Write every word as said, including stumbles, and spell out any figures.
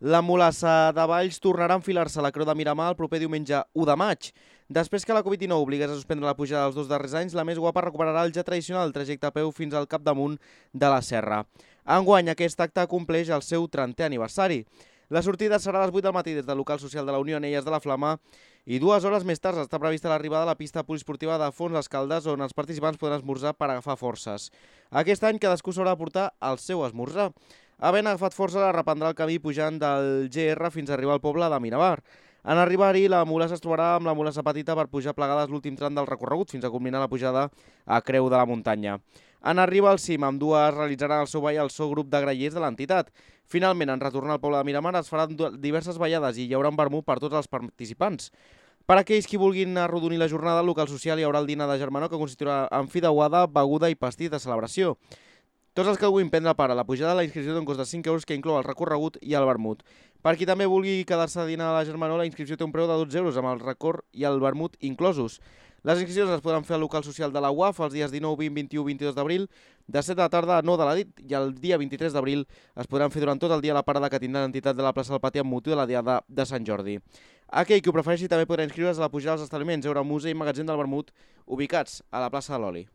La mulassa de Valls tornarà a enfilar-se a la Creu de Miramar el proper diumenge u de maig. Després que la Covid dinou obligués a suspendre la pujada dels dos darrers anys, la Més Guapa recuperarà el ja tradicional trajecte a peu fins al capdamunt de la serra. Enguany, aquest acte compleix el seu trentè aniversari. La sortida serà a les vuit del matí des del local social de la Unió Anelles de la Flama i dues hores més tard està prevista l'arribada a la pista poliesportiva de Fons les Caldes, on els participants podran esmorzar per agafar forces. Aquest any cadascú s'haurà de portar el seu esmorzar. Havent agafat força, reprendrà el camí pujant del G R fins a arribar al poble de Miramar. En arribar-hi, la mulassa es trobarà amb la mulassa petita per pujar plegades l'últim tram del recorregut fins a culminar la pujada a Creu de la Muntanya. En arribar al cim, amb dues realitzaran el seu ball al seu grup de grallers de l'entitat. Finalment, en retornar al poble de Miramar es faran diverses ballades i hi haurà un vermut per tots els participants. Per a aquells qui vulguin arrodonir la jornada, al local social hi haurà el dinar de germanor que constituirà amb fideuada, beguda i pastís de celebració. Tots els que vulguin prendre part a la pujada de la inscripció d'un cost de cinc euros que inclou el recorregut i el vermut. Per qui també vulgui quedar-se a dinar a la Germanor, la inscripció té un preu de dotze euros amb el record i el vermut inclosos. Les inscripcions es podran fer al local social de la U A F els dies dinou, vint, vint-i-u i vint-i-dos d'abril, de set de la tarda a nou de la nit, i el dia vint-i-tres d'abril es podran fer durant tot el dia a la parada que tindrà l'entitat de la plaça del Pati amb motiu de la diada de Sant Jordi. Aquell que ho prefereixi també podrà inscriure's a la pujada als establiments Euro Museu i Magatzem del Vermut, ubicats a la plaça de l'Oli.